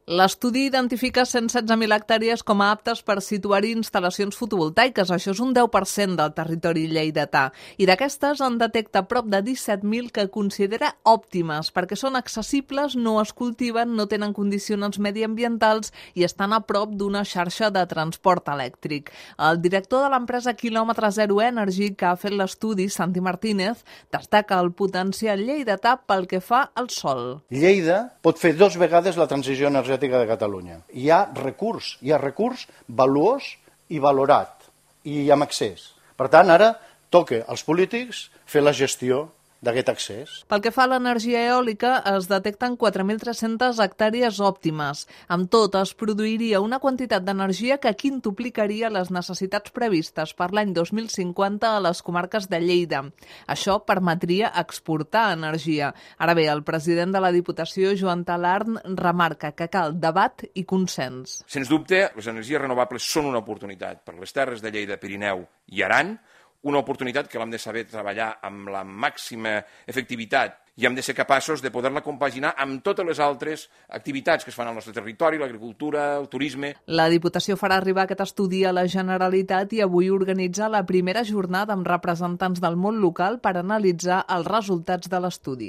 L'estudi identifica 116.000 hectàrees com a aptes per situar-hi instal·lacions fotovoltaiques. Això és un 10% del territori lleidatà. I d'aquestes en detecta prop de 17.000 que considera òptimes perquè són accessibles, no es cultiven, no tenen condicionants mediambientals i estan a prop d'una xarxa de transport elèctric. El director de l'empresa Quilòmetre Zero Energy, que ha fet l'estudi, Santi Martínez, destaca el potencial lleidatà pel que fa al sol. Lleida pot fer 2 vegades la transició energètica de Catalunya. Hi ha recurs valuós i valorat i amb accés. Per tant, ara toca als polítics fer la gestió d'aquest accés. Pel que fa a l'energia eòlica, es detecten 4.300 hectàrees òptimes. Amb tot, es produiria una quantitat d'energia que quintuplicaria les necessitats previstes per l'any 2050 a les comarques de Lleida. Això permetria exportar energia. Ara bé, el president de la Diputació, Joan Talarn, remarca que cal debat i consens. Sens dubte, les energies renovables són una oportunitat per les terres de Lleida, Pirineu i Aran, una oportunitat que l'hem de saber treballar amb la màxima efectivitat i hem de ser capaços de poder-la compaginar amb totes les altres activitats que es fan al nostre territori, l'agricultura, el turisme. La Diputació farà arribar aquest estudi a la Generalitat i avui organitza la primera jornada amb representants del món local per analitzar els resultats de l'estudi.